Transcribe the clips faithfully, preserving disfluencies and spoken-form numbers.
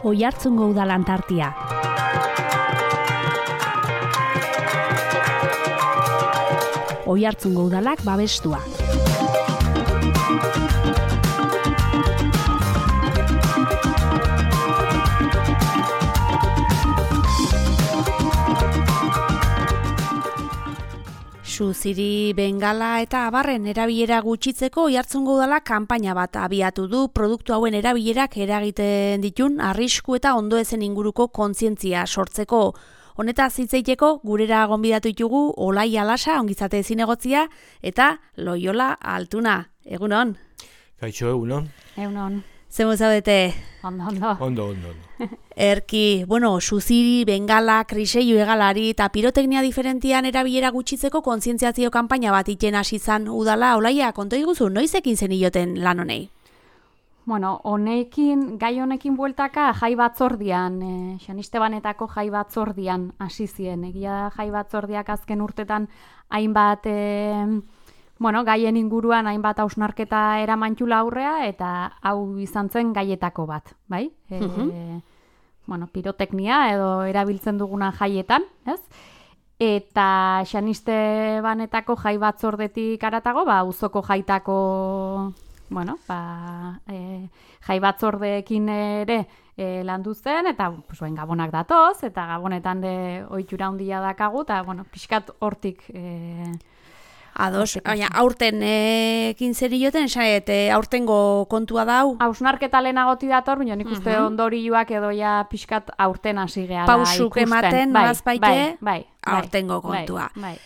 Oiartzungo Udal Antartia. Oiartzungo Udalak babestua. Suziri, bengala eta abarren erabilera gutxitzeko Oiartzungo Udalak kanpaina bat abiatu du produktu hauen erabilerak eragiten ditun arrisku eta ondoezen inguruko kontzientzia sortzeko. Honetaz hitz egiteko gurera gonbidatu ditugu Olai Alasa, ongizate zinegotzia, eta Loiola Altuna. Egunon? Kaixo, egunon? Egunon. Zemu zaudete? Ondo, ondo. Ondo, ondo, ondo. Erki, bueno, suziri, bengala, kriseiu egalari eta piroteknia diferentian erabilera gutxitzeko kontzientziazio kanpaina bat iten hasi zan udala. Olaia, konto iguzu, noiz ekin zen ioten lan honei? Bueno, honekin, gai honekin bueltaka jai batzordian, e, Xanistebanetako jai batzordian hasi zien. Egia jai batzordiak azken urtetan hainbat, e, bueno, gaien inguruan hainbat hausnarketa eramantxula aurrea, eta hau izan zen gaietako bat, bai? E, Mhm. Bueno, piroteknia edo erabiltzen duguna jaietan, ez? Eta Xanistebanetako jai batzordetik aratago, ba, auzoko jaitako, bueno, ba, e, jai batzordeekin ere e, landu zen, eta pues, bain, gabonak datoz, eta gabonetan de ohitura handia dakagu, eta, bueno, pixkat hortik... E, Ados, baina aurten ekin zer ioten, esanet, aurtengo kontua dau? Hausnarketa lehenagoti dator, baina nik uste Mhm. ondorioak edo ja pixkat aurten hasi gehala Pausuk ikusten. ematen, bai, nolazbaite, bai, bai, aurtengo bai, kontua. Bai, bai.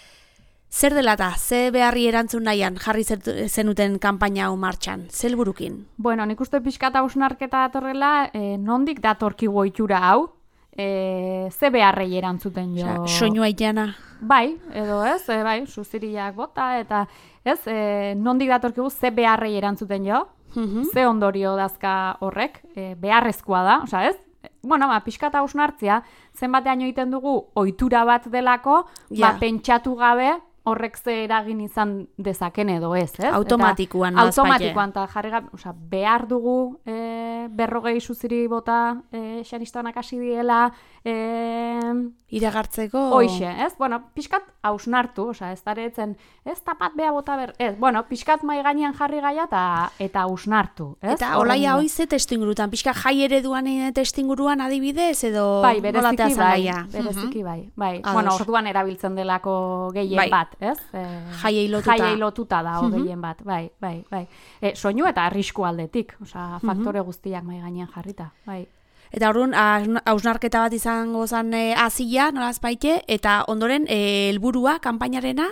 Zer dela eta, ze beharri erantzun nahian jarri zer- zenuten kanpaina hau martxan? Zer burukin? Bueno, nik uste pixkat hausnarketa datorrela, eh, nondik datorkigu ohitura hau, eh, ze beharrei erantzuten jo. Osea, soinua itana. Bai, edo ez, e, bai, suziriak bota, eta ez, e, nondik datorkigu ze beharrei erantzuten jo, Mhm. ze ondorio dazka horrek, e, beharrezkoa da, osea ez? Bueno, ba, pixkat hausnartzia, zenbatean egiten dugu ohitura bat delako, Ja. ba, pentsatu gabe horrek ze eragin izan dezaken edo ez, ez? Automatikoan, Eta, nolazpaite. automatikoan, eta jarri gabe, osea, behar dugu e, berrogei suziri bota e, Xanistabanak hasi diela, e, Iragartzeko? Hoixe, ez? Bueno, pixkat hausnartu, osea, ez daretzen, ez tapat bea bota ber, ez, bueno, pixkat mai gainean jarri gaia eta eta hausnartu, ez? Eta Olaia hoi ze testuingurutan, pixka jai ereduan testuinguruan adibidez, edo Bai, nola bereziki tea zen bai, gaia? bereziki bai, bai. Ados. Bueno, orduan erabiltzen delako gehien Bai. bat, ez? E, Jaiei lotuta. Jaiei lotuta da, Mhm. gehien bat, bai, bai, bai. E, soinu eta arrisku aldetik, osea, faktore guztiak mai gainean jarrita, bai. Eta orduan, haus- hausnarketa bat izango zen e, azila, nolazpaite, eta ondoren e, helburua kanpainarena?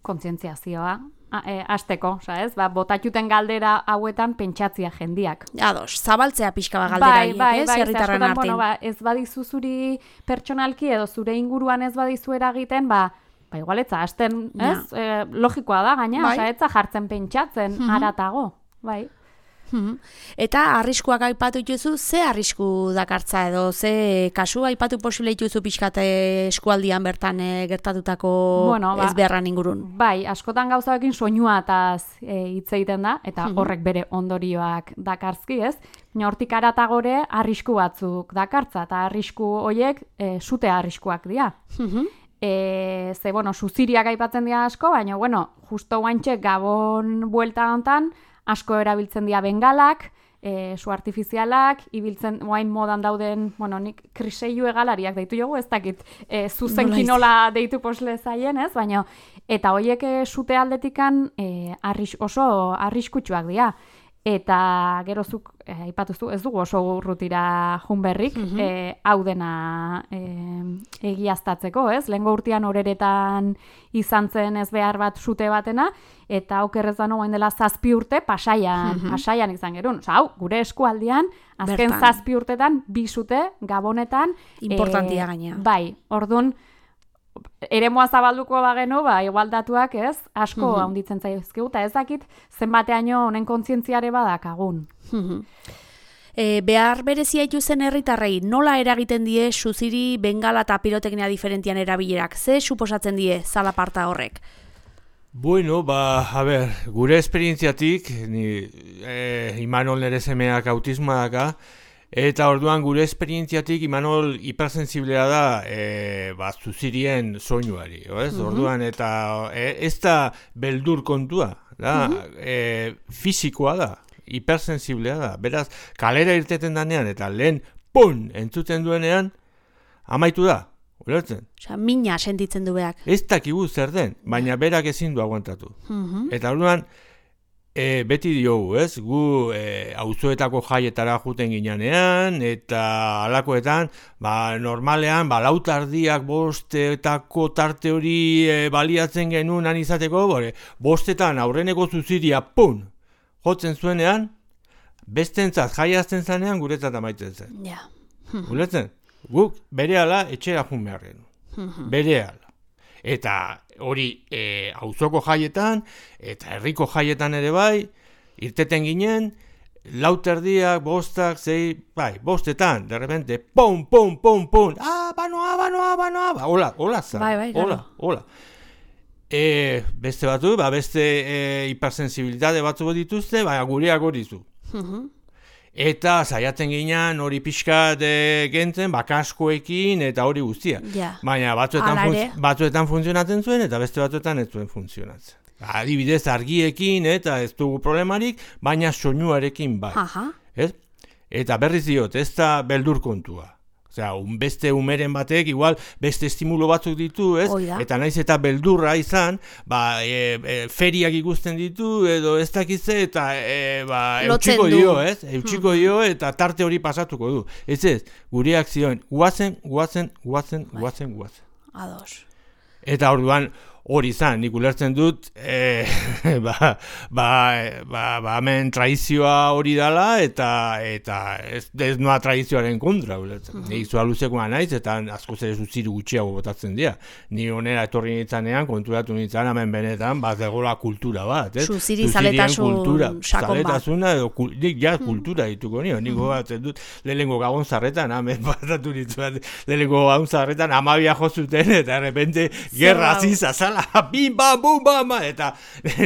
Kontzientziazioa, a- e, hasteko, osea, ez? Ba, botatuten galdera hauetan pentsatzia jendiak. Ados, zabaltzea pixka bat galderaiek, bai, ez? bai, ze Herritarren askotan, artean. bueno, ba, ez badizu zuri pertsonalki edo zure inguruan ez badizu eragiten, ba, ba igual etza, hasten, Ja. ez? E, logikoa da, gaina, Bai. osea, etza jartzen pentsatzen Mhm. haratago, bai. Mhm. Eta arriskuak aipatu dituzu, ze arrisku dakartza edo, ze kasu aipatu posible dituzu pixkat eh, eskualdian bertan eh, gertatutako Bueno, ba- ez beharran ingurun? Bai, askotan gauzaekin soinuataz e, hitz egiten da, eta Mhm. horrek bere ondorioak dakartzki, ez? Baina hortik aratagore arrisku batzuk dakartza, eta arrisku horiek e, sute arriskuak dira. Mhm. E, ze, bueno, suziriak aipatzen dira asko, baina, bueno, justo guantxe Gabon buelta hontan, asko erabiltzen dira bengalak, e, su artifizialak, ibiltzen, oain modan dauden, bueno, nik kriseiu egalariak deitu jogu, ez dakit, e, zuzenki Nola nola deitu posle zaien, ez? Baina, eta horiek e, sute aldetikan e, arris, oso arriskutsuak dira. Eta gerozuk, e, aipatuzu, ez dugu oso urrutira junberrik, Mhm. e, hau dena e, egiaztatzeko, ez? Lehengo urtean horeretan izan zen ez behar bat sute batena, eta okerrez da noain dela zazpi urte pasaian, Mhm. pasaian izan gerun. Osa, hau, gure eskualdian, azken Bertan. zazpi urtetan, bi sute, Gabonetan. Importantia gainea. Bai, orduan, eremua zabalduko bagenu, ba, igualdatuak, ez, asko Mhm. handitzen zaizkigu, eta ez dakit zenbateaino honen kontzientziare badakagun. Mhm. E, behar berezia ituzen herritarrei nola eragiten die suziri, bengala eta piroteknia diferentian erabilerak? Ze suposatzen die zalaparta horrek? Bueno, ba, a ber, gure esperientziatik, ni eh, Imanol nere semeak autismoa daka, eta orduan gure esperientziatik Imanol hipersensiblea da e, ba, zuzirien soinuari, ez? Mm-hmm. Orduan, eta e, ez da beldur kontua, da, mm-hmm. e, fisikoa da, hipersensiblea da. Beraz, kalera irteten danean, eta lehen, pun, entzuten duenean, amaitu da. Ulertzen? Osa, mina sentitzen du beak. Ez dakigu zer den, baina berak ezin du aguantatu. Mm-hmm. Eta orduan, e, beti diogu, ez? Gu e, auzoetako jaietara juten ginean, eta halakoetan, ba, normalean, ba, lautardiak bostetako tarte hori e, baliatzen genuen izateko, bore, bostetan aurreneko zuziria, pun, jotzen zuenean, bestentzat jaiazten zanean, guretzat amaitzen zen. Ja. Ulertzen? Guk berehala etxera jun beharren. Berehala. Eta hori e, auzoko jaietan, eta herriko jaietan ere bai, irteten ginen, lauterdiak, bostak, zei, bai, bostetan, de repente, pum, pum, pum, pum, ah, banoa, banoa, banoa, ba, hola, hola zan, bai, bai, hola, hola. E, beste batu, ba, beste e, hipersensibilitate batzu dituzte, baina gureak hori zu. Eta saiatzen ginean hori pixkat e, gentzen, bakaskoekin eta hori guztia. Ja. Baina batzuetan, funz, batzuetan funtzionatzen zuen eta beste batzuetan ez zuen funtzionatzen. Adibidez argiekin eta ez dugu problemarik, baina soinuarekin bai. Aha. Ez? Eta berriz diot, ez da beldur kontua. Osea, un beste umeren batek igual beste estimulo batzuk ditu, ez? Oida. Eta naiz eta beldurra izan, ba, e, e, feriak ikusten ditu, edo ez dakitze, eta e, ba, eutxiko dio, ez? Eutxiko dio, eta tarte hori pasatuko du. Ez ez, gureak zioen, guazen, guazen, guazen, guazen, guazen. Ados. Eta orduan, hori izan, nik ulertzen dut, e, ba, ba, ba, ba, hemen traizioa hori dala, eta eta ez, ez noa traizioaren kontra, ulertzen. Uh-huh. Nik zua luzekoa naiz, eta asko zer zuziru gutxiago botatzen dira. Ni onera etorri nintzanean, konturatu nintzen, hemen benetan, bat egola kultura bat, ez? Zuziri zaletasun kultura, sakon bat. Zaletasuna, edo, kul, nik ja kultura dituko nio, nik gogatzen dut, lehenengo gabon zarretan, hemen batatu nintzen, lehenengo gabon zarretan, amabia jozuten, eta errepente, gerra ziza, bim, bam, bum, bam, eta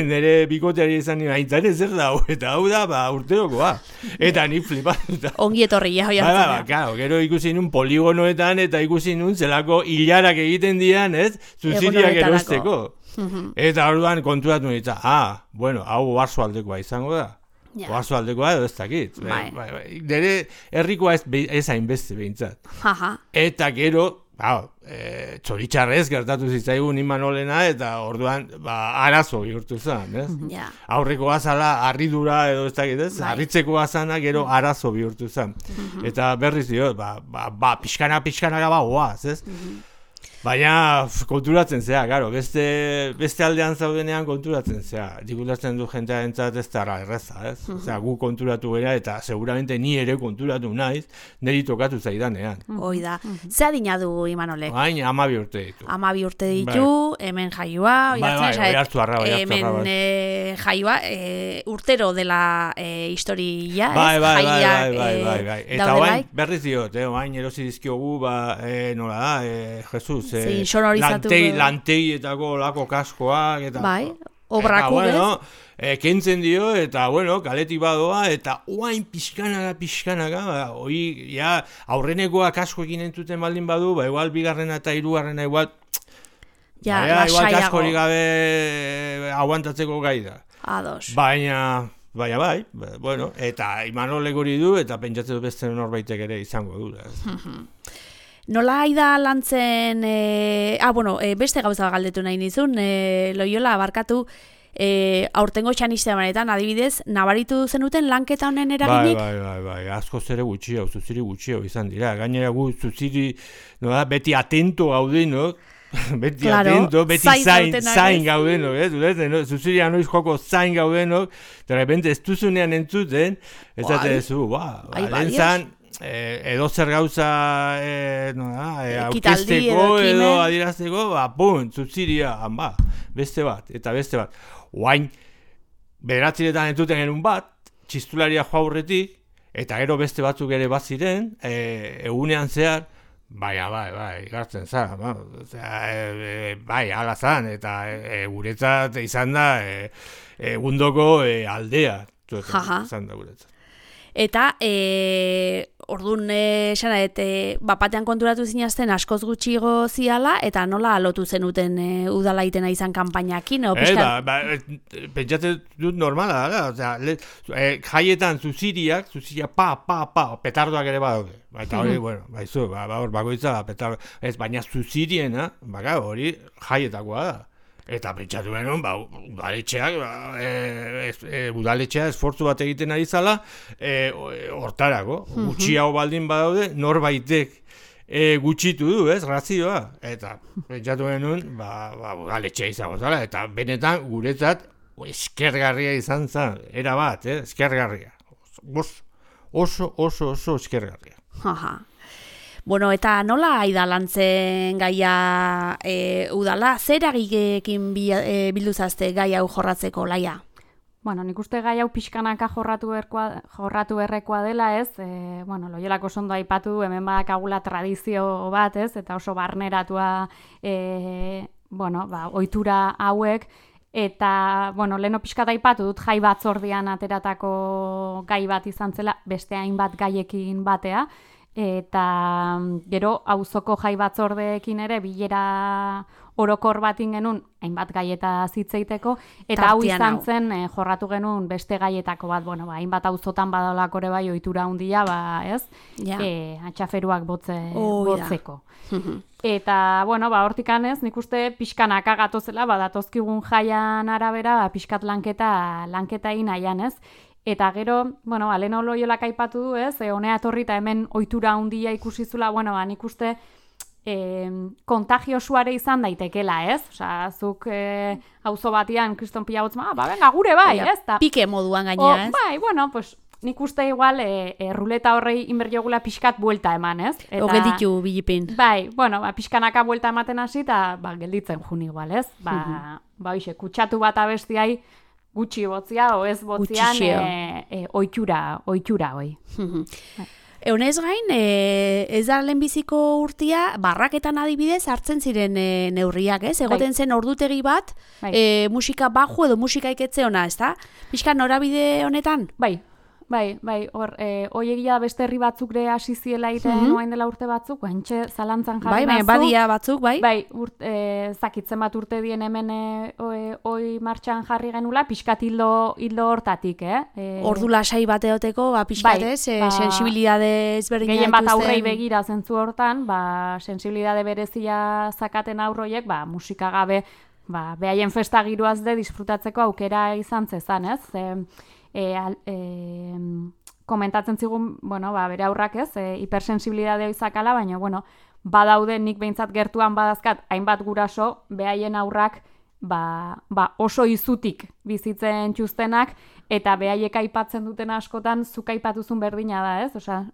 nire bikoteari izan nire aintzane zer da, eta hau da, ba, urterokoa. Eta nik flipatuta. Ongi etorri, ja, hoi hartzen. Ba, ba, claro, gero ikusi nun poligonoetan, eta ikusi nun zelako hilarak egiten dian, ez, zuziriak erosteko. Eta orduan konturatu nintzen, ah, bueno, hau oarzo aldekoa izango da. Ja. Oarzo aldekoa edo ez dakit. Bai. Bai, bai. Nire herrikoa ez, ez hainbeste behintzat. Eta gero, ba, e, txoritxarrez gertatu zitzaigun Imanolena, eta orduan ba, arazo bihurtu zen, ez? Ja. Aurreko azala harridura edo ez dakit, ez? Bai. Harritzeko azana gero arazo bihurtu zen. Eta berriz dio, ba, ba, ba pixkana, pixkana gaba goaz, ez? Baina konturatzen zea, garo, beste, beste aldean zaudenean konturatzen zea. Dikulatzen du jentea entzat ez dara erreza, ez? Uh-huh. Osea, gu konturatu gara eta seguramente ni ere konturatu naiz, niri tokatu zaidanean. Hoi da. Uh-huh. Ze adina du Imanolek? Baina amabi urte ditu. Amabi urte ditu, bai. Hemen jaioa. Bai, bai, bai, hartu arra, bai, hartu arra. Hemen e, jaioa, e, urtero dela e, historia, ez? Bai, bai, bai, Jaiak, bai, bai, bai, bai. Eta daudelaik. oain, berriz diot, eh, oain erosi dizkiogu, ba, e, nola da, e, Jesus, Zein sonorizatu. Lantei, lanteietako lako kaskoak, eta... Bai, obraku, eta, bueno, e, kentzen dio, eta, bueno, kaletik badoa, eta oain pixkanaga, pixkanaga, ba, hoi, ja, aurrenekoa kaskoekin entzuten baldin badu, ba, igual, bigarrena eta hirugarrena igual... Ja, ba, igual lasaiago. kaskorik gabe aguantatzeko gai da. Ados. Baina... Baina bai, bueno, eta Imanolek hori du, eta pentsatzen du beste norbaitek ere izango du. Nola aida lantzen, e, ah, bueno, e, beste gauza galdetu nahi nizun, e, Loiola, abarkatu, e, aurtengo txaniste manetan, adibidez, nabaritu zenuten lanketa honen eraginik? Bai, bai, bai, bai, asko zere gutxio, zuziri gutxio izan dira. Gainera gu zuziri, no da, beti atento gaudenok, beti claro, atento, beti zain, zain gaudenok, eh? Zulete, no? Zuziria noiz joko zain gaudenok, de repente ez duzunean entzuten, ez dute zu, ba, lehen zan, eh, edo zer gauza eh, no, eh, aurkezteko edo adierazteko, ba, pum, zuziria, ba, beste bat, eta beste bat. Oain, bederatziretan entzuten genuen bat, txistularia joa aurretik, eta gero beste batzuk ere bat ziren, e, egunean zehar, baina, bai, bai, igartzen za, ba, e, e, bai, ala zan, eta e, guretzat izan da e, egundoko e, aldea, izan da guretzat. Eta, e, orduan, esan e, e, bapatean konturatu zinazten askoz gutxigo ziala, eta nola lotu zenuten e, udala itena izan kanpainakin? E, ba, ba, pentsatzen dut normala, da, osea, e, jaietan zuziriak, zuziria pa, pa, pa, petardoak ere badaude. Eta hori, bueno, baizu, ba, ba, bagoitza, petardo, ez, baina zuziriena, baka, hori jaietakoa da. Eta pentsatu benun, ba, udaletxeak, ba, e, e, udaletxea esfortzu bat egiten ari zala, e, hortarako, gutxiago baldin badaude, norbaitek e, gutxitu du, ez, razioa. Eta pentsatu benun, ba, ba, udaletxea izango zala, eta benetan guretzat eskergarria izan zen, era bat, eh, eskergarria. Oso, oso, oso, oso eskergarria. Aha. Bueno, eta nola aidalantzen gaia e, udala, zer agigekin e, bilduzazte gai hau jorratzeko, Laia? Bueno, nik uste gai hau pixkanaka jorratu, berkoa, jorratu berrekoa dela, ez? E, bueno, Loiolako oso ondo aipatu du, hemen badakagula tradizio bat, ez? Eta oso barneratua, e, bueno, ba, ohitura hauek, eta, bueno, leheno pixkat aipatu dut jai batzordean ateratako gai bat izan zela, beste hainbat gaiekin batea, eta gero auzoko jai batzordeekin ere bilera orokor batin genuen hainbat gaieta zitzeiteko, eta hau izan zen e, jorratu genuen beste gaietako bat, bueno, ba, hainbat auzotan badalako ere bai ohitura handia, ba, ez? Ja. E, atxaferuak botze, oh, botzeko. Eta, bueno, ba, hortikan ez, nik uste pixkanaka gatozela, ba, datozkigun jaian arabera, ba, pixkat lanketa, lanketa egin nahian, ez? Eta gero, bueno, Leno Loiolak aipatu du, ez, e, honea etorri eta hemen ohitura handia ikusizula, bueno, ba, nik uste e, kontagiosuare izan daitekela, ez? Osea, zuk e, auzo batian kriston pila botzen, ah, ba, venga, gure bai, ez? Ta, pike moduan gainera, ez? Bai, bueno, pues, nik uste igual e, e, ruleta horrei inberdiogula pixkat buelta eman, ez? Eta, o gelditu bilipin. Bai, bueno, ba, pixkanaka buelta ematen hasi, eta ba, gelditzen jun igual, ez? Ba, mm-hmm. ba, hoxe, kutsatu bat abestiai, gutxi botzia, o ez botzian, e, e, ohitura, ohitura, oi. Eunez gain, e, ez da lehenbiziko urtia, barraketan adibidez hartzen ziren e, neurriak, ez? Egoten bai. Zen ordutegi bat, bai. e, musika baju edo musika iketze ona, ez da? Pixka norabide honetan? Bai. Bai, bai, hor, e, oiegia beste herri batzuk ere hasi ziela egiten mm-hmm. noain dela urte batzuk, guantxe zalantzan jarri bai, nazu. Bai, badia batzuk, bai. Bai, urt, e, zakitzen bat urte dien hemen e, oi martxan jarri genula, pixkat hildo, hildo hortatik, eh? E, Ordu lasai bat eoteko, ba, pixkat bai, ez, e, ba, sensibilidade ezberdina gehien bat aurrei begira zentzu hortan, ba, sensibilidade berezia zakaten aurroiek, ba, musika gabe, ba, behaien festa giroaz de disfrutatzeko aukera izan zezan, ez? E, E, e, komentatzen zigun, bueno, ba, bere aurrak ez, e, hipersensibilidadea izakala, baina, bueno, badaude nik behintzat gertuan badazkat, hainbat guraso, behaien aurrak, ba, ba oso izutik bizitzen txustenak, eta behaiek aipatzen duten askotan, zuk aipatuzun berdina da, ez? Osea,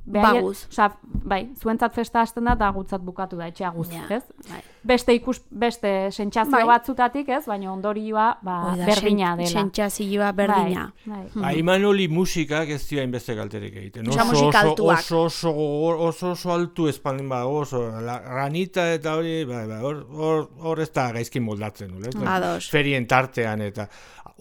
Baguz. Osa, bai, zuentzat festa hasten da, eta gutzat bukatu da, etxea guz, ja, ez? Bai. Beste ikus, beste sentsazio bai. batzutatik, ez? Baina ondorioa, ba, Oida, berdina dela. Sentsazioa berdina. Bai, bai. Hmm. Imanoli musikak ez dira inbeste kalterik egiten. Osa musika altuak. Oso, oso, oso, oso, oso altu espaldin ba, oso, la, ranita eta hori, bai, bai, hor, hor, hor ez da gaizkin moldatzen, ez? Ados. Ferien tartean eta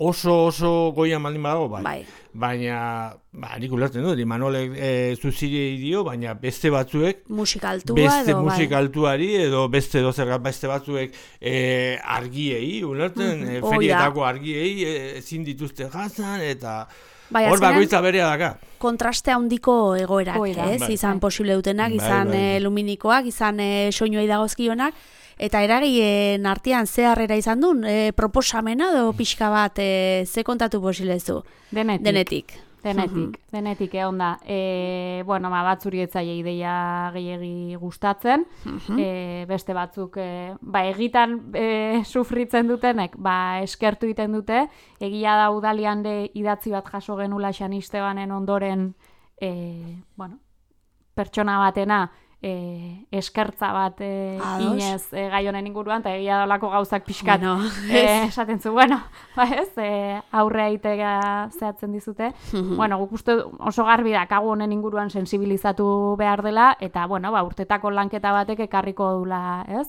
oso, oso goian baldin badago, bai. bai. Baina, ba, nik ulertzen dut, Imanolek e, zuzirei dio, baina beste batzuek musikaltua beste edo, musikaltuari bai. Edo beste dozer beste batzuek e, argiei, ulertzen, mm-hmm. e, ferietako argiei ezin dituzte jazan, eta bai, hor bakoitza berea daka. Kontraste handiko egoerak, Oida. ez? Bai. Izan posible dutenak, Bai, izan bai. E, luminikoak, izan e, soinuei dagozkionak, eta eragien artean ze harrera izan duen, e, proposamena edo pixka bat e, ze kontatu posilezu? Denetik. Denetik. Denetik, denetik egon da. E, bueno, ma, batzuri etzaile ideia gehiegi gustatzen, e, beste batzuk, e, ba, egitan e, sufritzen dutenek, ba, eskertu egiten dute, egia da udalian de idatzi bat jaso genula Xanistebanen ondoren, e, bueno, pertsona batena, e, eskertza bat e, Ados. inez e, gai honen inguruan, eta egia dolako gauzak pixkat Bueno, e, esaten zu, bueno, ba ez, e, aurre aitea zehatzen dizute. Bueno, guk uste oso garbi da, kagu honen inguruan sensibilizatu behar dela, eta, bueno, ba, urtetako lanketa batek ekarriko dula, ez?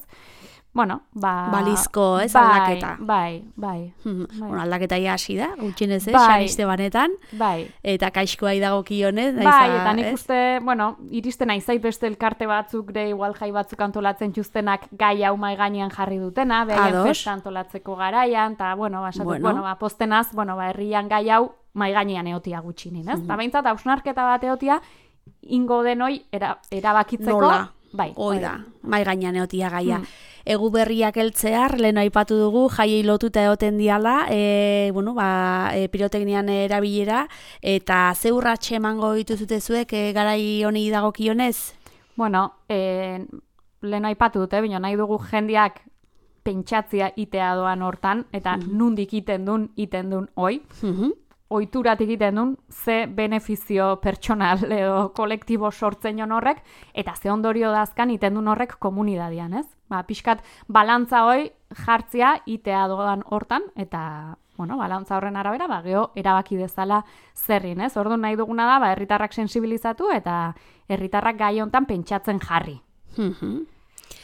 Bueno, ba... Balizko, ez, bai, aldaketa. Bai, bai. Bueno, aldaketa ja hasi da, gutxienez, ez, Bai. Xaniste banetan, Bai. eta kaixkoa idagokionez, naiz Bai, a- eta nik ez? uste, bueno, iristen naizait beste elkarte batzuk, de igual jai batzuk antolatzen txuztenak gai hau mai gainean jarri dutena, behaien Ados. festa antolatzeko garaian, eta, bueno, ba, esatu, Bueno. bueno, ba, postenaz, bueno, ba, herrian gai hau mai gainean eotia gutxinin, ez? Eta behintzat, hausnarketa bat eotia, ingo denoi era, erabakitzeko... Nola? Bai, Hoi bai. da, mai gainean eotia gaia. Hmm. Egu berriak heltzear, lehen aipatu dugu, jaiei lotuta egoten diala, e, bueno, ba, e, piroteknian erabilera, eta ze urratxe emango dituzute zuek e, garai honi dagokionez? Bueno, eh, lehen aipatu dute, baina nahi dugu jendeak pentsatzia itea doan hortan, eta nundik iten dun, iten dun hoi. Mhm. Oituratik egiten duen, ze benefizio pertsonal edo kolektibo sortzen jon horrek, eta ze ondorio dazkan iten duen horrek komunidadian, ez? Ba, pixkat, balantza hoi jartzia itea doan hortan, eta, bueno, balantza horren arabera, ba, geho, erabaki dezala zerrin, ez? Orduan nahi duguna da, ba, herritarrak sensibilizatu, eta herritarrak gai hontan pentsatzen jarri. Mhm.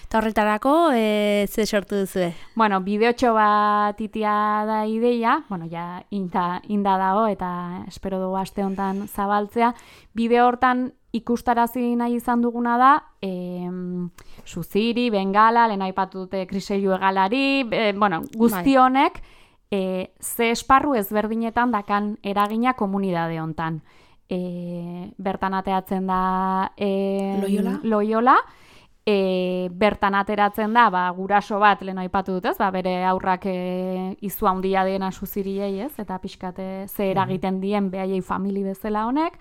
Eta horretarako, e, ze sortu duzue? Bueno, bideotxo bat itia da ideia, bueno, ja inda, inda dago eta espero dugu aste honetan zabaltzea. Bideo hortan ikustarazi nahi izan duguna da, e, Suziri, Bengala, lehen aipatu dute Kriseilu egalari, e, bueno, guzti honek e, ze esparru ezberdinetan dakan eragina komunidade hontan. E, bertan ateatzen da e, Loiola? Loiola, E, bertan ateratzen da, ba, guraso bat, lehen aipatu dut, ez? Ba, bere aurrak e, izu handia dena Suziriei, ez? Eta pixkate ze eragiten dien behaiei famili bezala honek.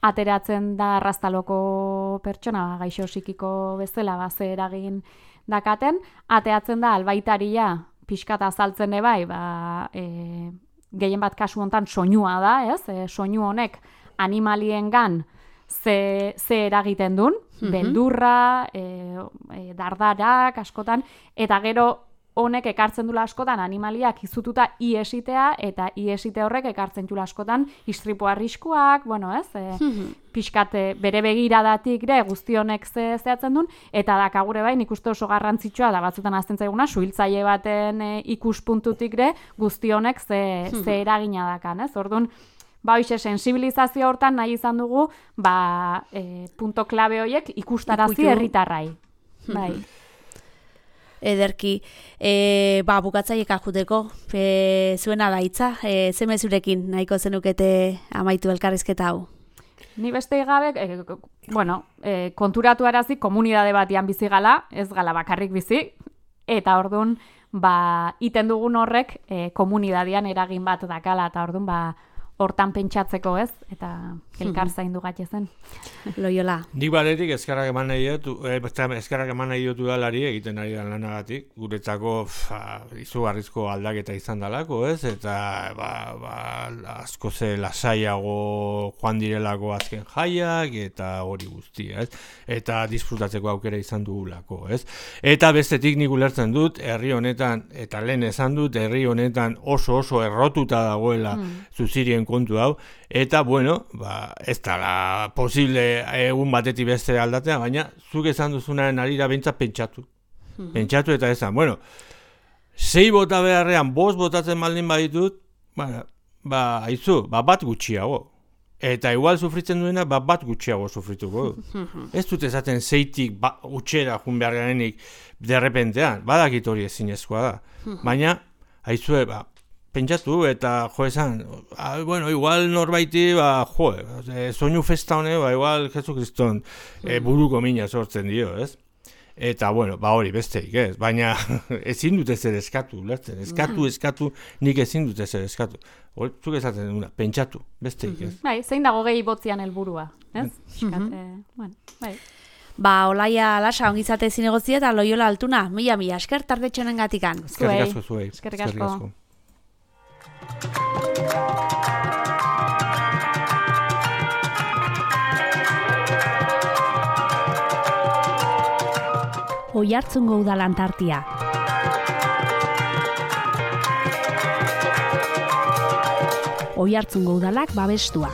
Ateratzen da arraztaloko pertsona, ba, gaixo psikiko bezala, ba, ze eragin dakaten. Ateatzen da albaitaria pixkata azaltzen ebai, ba, e, gehien bat kasu hontan soinua da, ez? E, soinu honek animaliengan ze, ze eragiten duen, beldurra, e, e, dardarak, askotan, eta gero honek ekartzen dula askotan animaliak izututa iesitea, eta iesite horrek ekartzen dula askotan istripu arriskuak, bueno, ez, e, pixkate bere begiradatik ere guzti honek ze zehatzen duen, eta dakagure bai, nik uste oso garrantzitsua da batzutan azten zaiguna, suhiltzaile baten e, ikuspuntutik ere guzti honek ze, ze eragina dakan, ez, orduan, ba, hoxe, sensibilizazio hortan nahi izan dugu, ba, e, punto klabe horiek ikustarazi Ikutu. herritarrai. Bai. Ederki, e, ba, bukatzaiek ajuteko, e, zuen alaitza, e, ze mezurekin nahiko zenukete amaitu elkarrizketa hau? Ni beste gabe, e, bueno, e, konturatu arazi komunidade batian bizi gala, ez gala bakarrik bizi, eta orduan, ba, iten dugun horrek e, komunidadian eragin bat dakala, eta orduan, ba, hortan pentsatzeko, ez? Eta elkar zaindu zen. Loiola. Nik batetik eskerrak eman nahi dut, eh, eskerrak eman nahi dut udalari egiten ari da lanagatik, guretzako fa, izugarrizko aldaketa izan dalako, ez? Eta ba, ba, asko ze lasaiago joan direlako azken jaiak, eta hori guztia, ez? Eta disfrutatzeko aukera izan dugulako, ez? Eta bestetik nik ulertzen dut, herri honetan, eta lehen esan dut, herri honetan oso oso errotuta dagoela mm. Zuzirien kontu hau, eta, bueno, ba, ez dala posible egun batetik beste aldatea, baina zuk esan duzunaren arira behintzat pentsatu. Mm-hmm. Pentsatu eta esan, bueno, sei bota beharrean, bost botatzen baldin baditut, ba, ba, haizu, ba, bat gutxiago. Eta igual sufritzen duena, ba, bat gutxiago sufrituko du. Mm-hmm. Ez dut esaten zeitik ba, utxera jun behar garenik derrepentean, badakit hori ezinezkoa da. Mm-hmm. Baina, haizue, ba, pentsatu eta jo esan, ah, bueno, igual norbaiti, ba, jo, e, soinu festa hone, ba, igual Jesu Kriston e, buruko mina sortzen dio, ez? Eta, bueno, ba hori besteik, ez? Baina ezin dut ezer eskatu, lertzen, eskatu, eskatu, nik ezin dut ezer eskatu. Hor, zuk esaten duguna, pentsatu, besteik, ez? Bai, zein dago gehi botzian helburua, ez? Piskat, eh, bueno, bai. Ba, Olaia Lasa ongizate zinegozia eta Loiola Altuna, mila mila esker tardetxonen gatikan. Eskerrik asko zuei. Eskerrik asko. Oiartzungo Udalan tartia. Oiartzungo Udalak babestua.